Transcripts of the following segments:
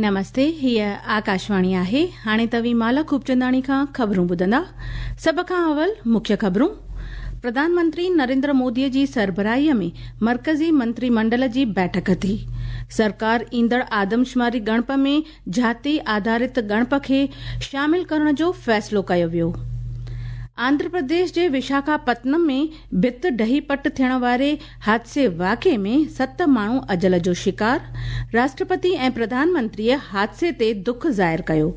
نمستي هيء آڪاشواڻي آهي هاڻي توهين مالا خوبچنداڻي کان خبرون ٻڌندا سڀ کان اول مکيه خبرون پرڌان منتري نريندر مودي جي سربراهي ۾ مرڪزي منتري منڊل جي بيٺڪ ٿي سرڪار ايندڙ آدمشماري ڳڻپ ۾ جاتي آڌارت ڳڻپ کي شامل ڪرڻ جو فيصلو ڪيو ويو آنڌرا پرديش جي وشاکاپتنم ۾ ڀت ڊهي پٽ ٿيڻ واري حادثي واقعي ۾ ست ماڻهو اجل جو شڪار راشٽرپتي ۽ پرڌان منتريء حادثي تي دک ظاهر ڪيو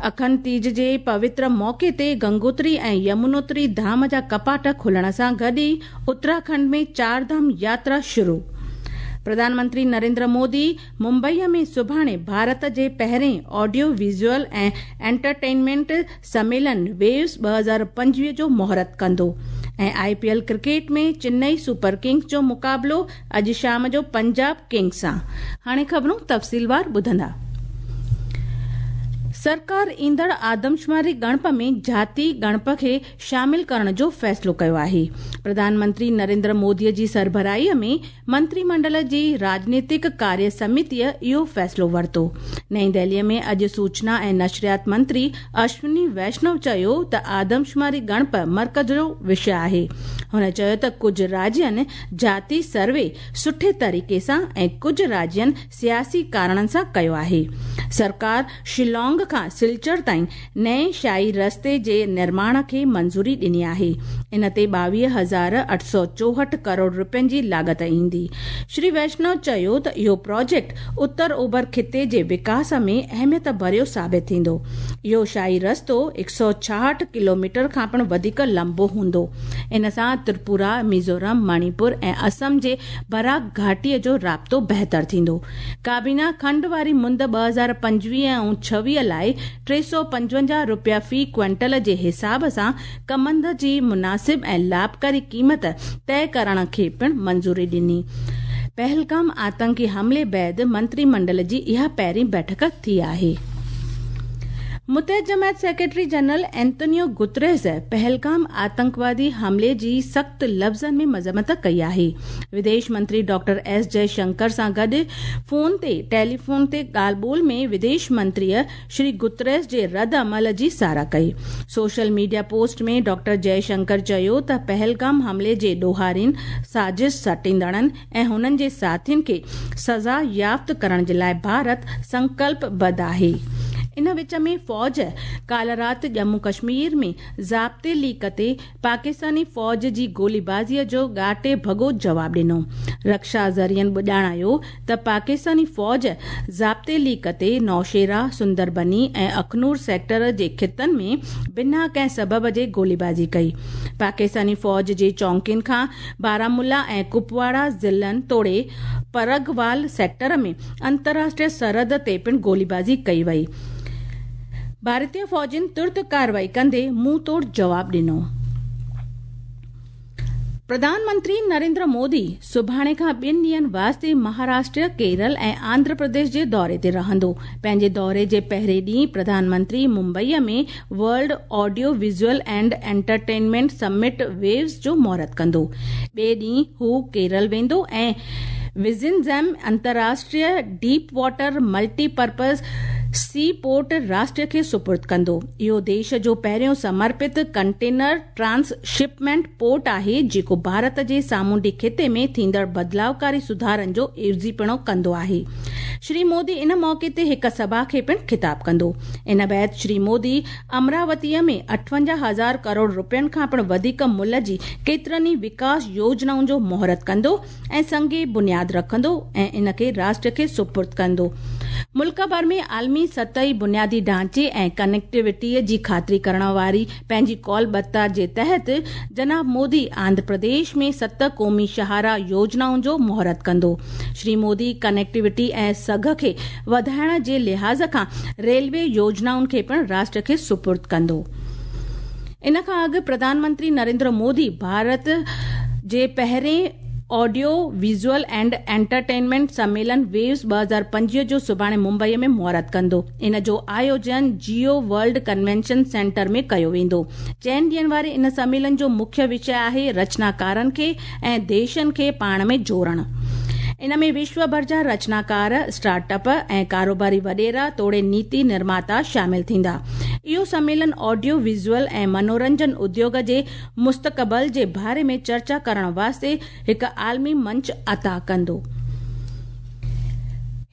اکنڊ تيج جي پوتر موقعي تي گنگوتري ۽ يمنوتري ڌام جا ڪپاٽ کلڻ سان گڏ ئي اتراکنڊ ۾ چار ڌام ياترا شروع پرڌان منتري نريندر مودي ممبئي ۾ سڀاڻي ڀارت جي پهرين آڊيو ويزوئل ۽ انٽرٽينمينٽ سميلن ويوز 2025 جو مهورت ڪندو ۽ I P L cricket ۾ Chennai super Kings جو مقابلو اڄ شام جو پنجاب ڪنگز سان هاڻي خبرون تفصيلوار ٻڌندا سرڪار ايندڙ آدمشماري ڳڻپ ۾ جاتي ڳڻپ کي شامل ڪرڻ جو فيصلو ڪيو آهي. پرڌان منتري نريندر مودي جي سربراهي ۾ منتري منڊل جي راڄنيتڪ ڪاريه سمتيء اهو فيصلو ورتو. نئين دهلي ۾ اڄ سوچنا ۽ نشريات منتري اشوني ويشنو چيو ته آدمشماري ڳڻپ مرڪز جو وشيه آهي. هن چيو ته ڪجهه راجين جاتي سروي سٺي طريقي سان ۽ ڪجهه راجين سياسي ڪارڻن سان ڪيو آهي. سرڪار شيلانگ کان سلچر تائين نئين شاهي رستي جي نرماڻ کي منظوري ڏني آهي. ان تي 22,864 ڪروڙ رپين جي لاڳت ايندي. شري ويشنو چيو ته اهو پراجيڪٽ اتر اوڀر خطي جي وڪاس ۾ اهميت ڀريو ثابت ٿيندو. اهو شاهي رستو 166 ڪلوميٽر کان پڻ وڌيڪ لنبو هوندو. ان سان ترپورا، ميزورم، مڻيپور ۽ اسم جي براڪ گهاٽي جو رابطو بهتر ٿيندو. ڪابينا کنڊ واري مند 2025 ۽ 26 لاء 355 رپيا في ڪوئنٽل جي حساب سان ڪمند جي مناسب ۽ لاڀڪاري قيمت طئي ڪرڻ کي پڻ منظوري ڏني. پهلگام آتنڪي حملي بعد منتري منڊل جي اها پهرين بيٺڪ ٿي آهي. متحده جماعت secretary general Antonio Guterres Pahalgam آتنڪوادي حملي جي سخت لفظن ۾ مذمت ڪئي آهي. وديش منتري ڊاڪٽر ايس جئه شنڪر سان گڏ فون تي ٽيليفون تي ڳالهه ٻولهه ۾ وديش منتريء شري گوتريس جي رد عمل جي ساراهه ڪئي. Social media post ۾ doctor Jai Shankar چيو ته پهلگام حملي جي ڏوهارين، سازش سٽيندڙن ۽ هنن جي ساٿين کي سزا يافت ڪرڻ جي لاء ڀارت سنڪلپ بڌ آهي. ان وچ ۾ فوج ڪالهه رات ڄمون ڪشمير ۾ ضابطي ليڪ تي پاڪستاني فوج جي گوليبازي جو ڳاٽي ڀڳو جواب ڏنو. رڪشا ذريعن ڄاڻايو ته پاڪستاني فوج ضابطي ليڪ تي نوشيرا، سندربني ۽ اخنور سيڪٽر جي خطن ۾ بنا ڪنهن سبب جي گوليبازي ڪئي. پاڪستاني فوج جي چونڪين کان بارامولا ۽ ڪپواڙا ضلعن توڙي پرگوال سيڪٽر ۾ انترراشٽريه سرحد تي پڻ گوليبازي ڪئي وئي. ڀارتي فوجين ترت ڪارروائي ڪندي منهن ٽوڙ جواب ڏنو. پرڌان منتري نريندر مودي سڀاڻي کان ٻن ڏينهن واسطي مهاراشٽر، ڪيرل ۽ آنڌرا پرديش جي دوري تي رهندو. پنهنجي دوري جي پهرين ڏينهن Pradhan Mantri Mumbai ۾ world audio visual and entertainment summit waves جو مهورت ڪندو. ٻئي ڏينهن هو ڪيرل ويندو ۽ وزنجم انترراشٽريه deep water multi purpose seaport راشٽر کي سپرد ڪندو. اهو ديش جو پهريون سمرپت ڪنٽينر ٽرانس شپمينٽ پورٽ آهي جيڪو ڀارت جي سامونڊي خطي ۾ ٿيندڙ بدلاوڪاري سڌارن جو عيوضيپڻو ڪندو آهي. شري مودي ان موقعي تي هڪ سڀا کي پڻ خطاب ڪندو. ان بعد شري مودي امراوتيء ۾ 58 هزار ڪروڙ رپين کان پڻ وڌيڪ ملهه جي ڪيترن ئي وڪاس يوجنائن جو مهورت ڪندو ۽ سنگ بنياد رکندو ۽ ان کي راشٽر کي سپرد ڪندو. ملڪ ڀر ۾ عالمي سطحي بنيادي ڍانچي ۽ ڪنيڪٽيوٽيء جي خاطري ڪرڻ واري پنهنجي قول ٻڌتا جي تحت جناب مودي آنڌرا پرديش ۾ ست قومي شاهراهه يوجنائن جو مهورت ڪندو. شري مودي ڪنيڪٽيوٽي ۽ سگهه کي وڌائڻ جي لحاظ کان ريلوي يوجنائن کي پڻ راشٽر کي سپرد ڪندو. ان کان اڳ پرڌان منتري نريندر مودي ڀارت جي پهرين آڊيو ويزوئل اينڊ انٽرٽينمينٽ سميلن ويوز 2025 جو سڀاڻي ممبئي ۾ مهورت ڪندو. ان جو آيوجن جيو ورلڊ ڪنوينشن سينٽر ۾ ڪيو ويندو. چئن ڏينهن واري ان سميلن جو مکيه وشيه آهي رچناڪارن کي ۽ ديشن کي پاڻ ۾ جوڙڻ. ان ۾ وشو ڀر جا رچناڪار، اسٽارٽ اپ ۽ ڪاروباري وڏيرا توڙي نيتي نرماتا شامل ٿيندا. اهو سميلن آڊيو ويزوئل ۽ منورنجن اديوگ جي مستقبل جي باري ۾ چرچا ڪرڻ واسطي هڪ عالمي منچ عطا ڪندو.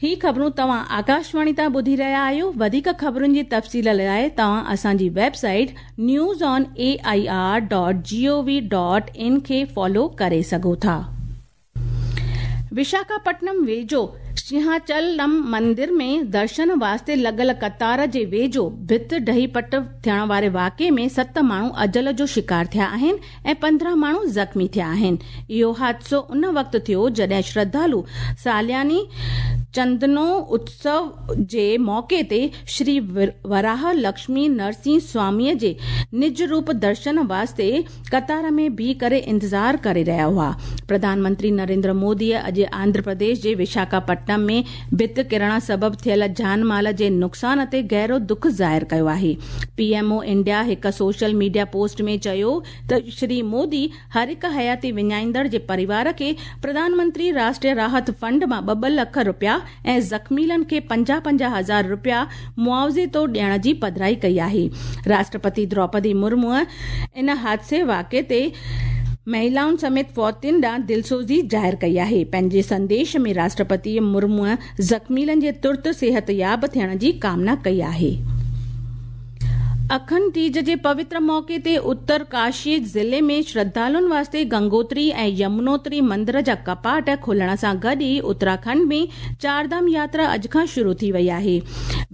هي خبرون توهان آڪاشواڻي تان ٻڌي رهيا آهيو. وڌيڪ خبرن جي تفصيل لاءِ توهان اسان جي website news on A I R dot G O V dot in کي فالو ڪري سگهو ٿا. وشاکاپٽنم ويجهو سنهاچلم مندر ۾ درشن واسطي لڳل قطار جي ويجهو ڀت ڊهي پٽ ٿيڻ واري واقعي ۾ 7 ماڻهو اجل جو شڪار ٿيا آهن ۽ 15 ماڻهو زخمي ٿيا آهن. اهو حادثو ان وقت ٿيو جڏهن شرڌالو سالياني چندنو اتسو جي موقعي تي شري وراهه لڪشمي نرسنهه سواميء جي نج روپ درشن واسطي قطار ۾ بيهي ڪري انتظار ڪري رهيا هئا. پرڌان منتري نريندر موديء اڄ آنڌرا پرديش جي وشاکاپٽنم ۾ ڀت ڪرڻ سبب ٿيل جان مال جي نقصان تي گهرو دک ظاهر ڪيو آهي. پي ايم او انڊيا هڪ سوشل ميڊيا پوسٽ ۾ چيو ته شري مودي هر هڪ حياتي وڃائيندڙ جي پريوار کي پرڌان منتري راشٽريه راحت فنڊ مان 2-2 لک رپيا ۽ زخميلن کي 50-50 هزار رپيا معاوضي طور ڏيڻ جي پڌرائي ڪئي آهي. راشٽرپتي دروپدي مرموء ان حادثي واقعي تي مهلائن سميت فوتين ڏانهن دلسوزي ظاهر ڪئي آهي. پنهنجي سنديش ۾ راشٽرپتي مرموء زخميلن جي ترت صحتياب ٿيڻ جي ڪامنا ڪئي آهي. اکنڊ تيج جي پوتر موقعي تي اتر ڪاشي ضلعي ۾ شرڌالن واسطي گنگوتري ۽ يمنوتري مندر جا ڪپاٽ کولڻ سان گڏ ئي اتراکنڊ ۾ چارڌام ياترا اڄ کان شروع ٿي وئي آهي.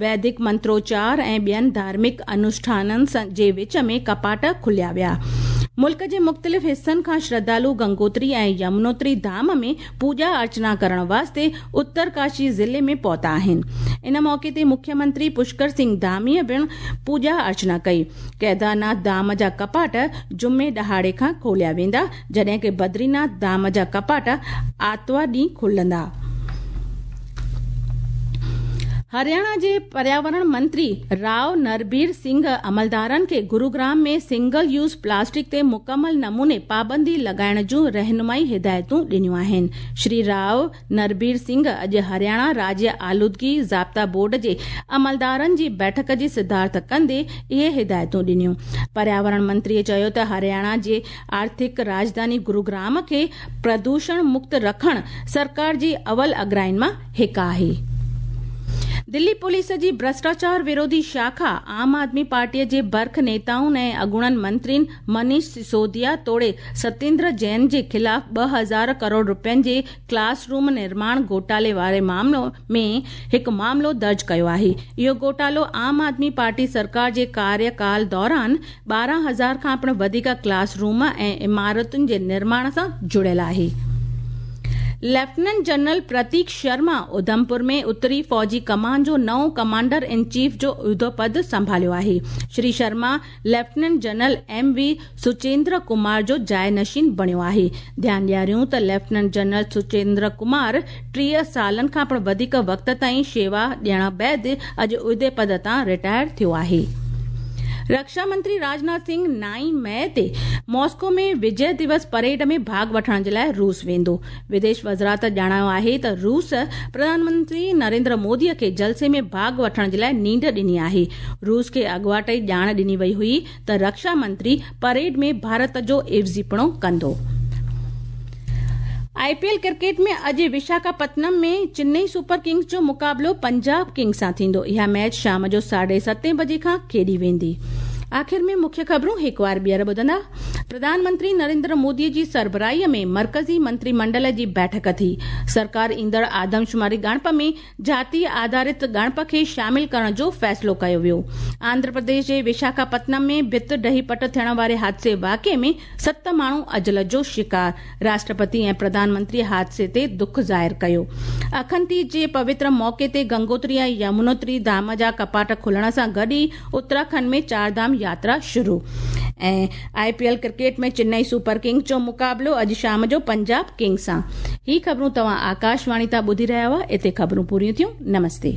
ويدڪ منتروچار ۽ ٻين ڌارمڪ انوشٺانن جي وچ ۾ ڪپاٽ کوليا ويا. ملڪ جي مختلف حصن کان شرڌالو گنگوتري ۽ يمنوتري ڌام ۾ پوڄا ارچنا ڪرڻ واسطي اتر ڪاشي ضلعي ۾ پهتا آهن. ان موقعي تي مکيه منتري پشڪر سنگهه ڌاميء پڻ پوڄا ارچنا ڪئي. ڪيدارناٿ ڌام جا ڪپاٽ جمعي ڏهاڙي کان کوليا ويندا، جڏهن ڪه بدريناٿ ڌام جا ڪپاٽ آرتوار ڏينهن کلندا. هرياڻا جي پرياورڻ منتري رائو نربير سنگهه عملدارن کي گروگرام ۾ سنگل يوز پلاسٽڪ تي مڪمل نموني پابندي لڳائڻ جون رهنمائي هدايتون ڏنيون آهن. شري رائو نربير سنگهه اڄ هرياڻا راجيه آلودگي ضابطا بورڊ جي عملدارن جي بيٺڪ جي صدارت ڪندي اهي هدايتون ڏنيون. پرياورڻ منتري چيو ته هرياڻا جي آرٿڪ راڄڌاني گروگرام کي پردوشڻ مڪت رکڻ سرڪار جي اول اڳرائين مان هڪ آهي. دلي پوليس جي ڀرشٽاچار وروڌي شاخا عام آدمي پارٽيء جي برک نيتائن ۽ اڳوڻن منترين منيش سسوديا توڙي ستيندر جين جي خلاف 2000 ڪروڙ رپين جي ڪلاس روم نرماڻ گهوٽالي واري معاملو ۾ هڪ معاملو درج ڪيو آهي. اهو گهوٽالو عام آدمي پارٽي سرڪار جي ڪاريڪال دوران 12,000 کان پڻ وڌيڪ ڪلاس روم ۽ عمارتن جي نرماڻ سان جڙيل آهي. ليفٽيننٽ جنرل پرتيڪ شرما اڌمپور ۾ اتري فوجي ڪمان جو نئون ڪمانڊر ان چيف جو عهدو پد سنڀاليو آهي. Shri Sharma lieutenant general M V Suchindra Kumar جو جاء نشين بڻيو آهي. ڌيان ڏياريون ته ليفٽيننٽ جنرل سچيندر ڪمار 30 سالن کان پڻ وڌيڪ وقت تائين شيوا ڏيڻ بعد اڄ عهدي پد تان رٽائر ٿيو آهي. رڪشا منتري راجناٿ سنگهه 9 مئي تي ماسڪو ۾ وجي دوس پريڊ ۾ ڀاڳ وٺڻ جي لاءِ روس ويندو. وديش وزارت ڄاڻايو آهي ته روس پرڌان منتري نريندر مودي کي جلسي ۾ ڀاڳ وٺڻ جي لاءِ نينڍ ڏني آهي. روس کي اڳواٽ ئي ڄاڻ ڏني وئي هئي ته رڪشا منتري پريڊ ۾ ڀارت جو عيوضيپڻو ڪندو. آء پي ايل ڪرڪيٽ ۾ اڄ وشاکاپتنم ۾ چنئي سپر ڪنگز جو مقابلو پنجاب ڪنگز سان ٿيندو. اها ميچ شام جو 7:30 بجي کان کيڏي ويندي. آخر ۾ مکيه خبرون هڪ وار ٻيهر ٻڌندا. پرڌان منتري نريندر مودي جي سربراهي ۾ مرڪزي منتري منڊل جي بيٺڪ ٿي. سرڪار ايندڙ آدمشماري ڳڻپ ۾ جاتي آڌارت ڳڻپ کي شامل ڪرڻ جو فيصلو ڪيو ويو. آنڌرا پرديش جي وشاکاپتنم ۾ ڀت ڊهي پٽ ٿيڻ واري حادثي واقعي ۾ 7 ماڻهو اجل جو شڪار. راشٽرپتي ۽ پرڌان منتري حادثي تي دک ظاهر ڪيو. اکنڊ تيج جي پوتر موقعي تي گنگوتري ۽ يمنوتري ڌام جا ڪپاٽ کلڻ سان گڏ ئي اتراکنڊ ۾ چار ڌام ياترا شروع. ۽ I P L cricket ۾ Chennai super kings جو مقابلو اڄ شام جو پنجاب ڪنگز سان. هي خبرون توهان آڪاشواڻي تان ٻڌي رهيا هئا. اتي خبرون پوريون ٿيون. نمستي.